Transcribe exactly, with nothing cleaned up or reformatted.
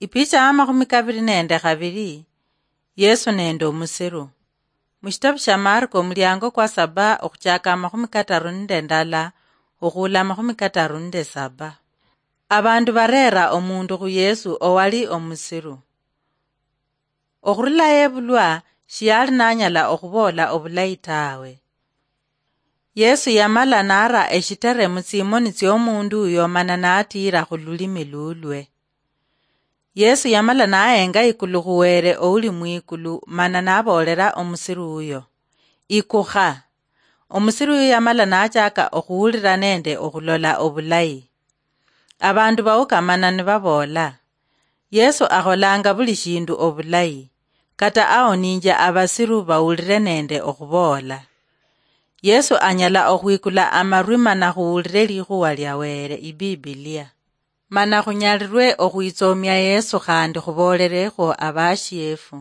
Ipicha ya makhumi kabiri nende khabiri. Yesu nende omusiru. Mushitabu sha Marko, omuliango kwa saba, okhuchaka amakhumi kataru nende ndala okhuula amakhumi kataru nende saba. Abandu bareera omundu khu Yesu owali omusiru. Okhurula yebulwa, shiyali nanyala okhuboola obulayi tawe. Yesu yamala nara eshitere mutsimoni tsiomundu uyo mana natiira khululimi lulwe. Yesu yamala nahenga ikulu khuwere ouli mwikulu, mana naboolera omusiru uyo, "Ikukha." Omusiru uyo yamala nachaka okhuwulira nende okhulola obulayi. Abandu baukamana nibaboola, "Yesu akholanga buli shindu obulayi, kata aoninjia abasiru bawulire nende okhuboola." Yesu anyala okhwikula amarwi mana khuwulire likhuwa lia Were, Ibibilia. Mana khunyalirwe okhwitsomia Yesu khandi khubolerekhwo abashiefu.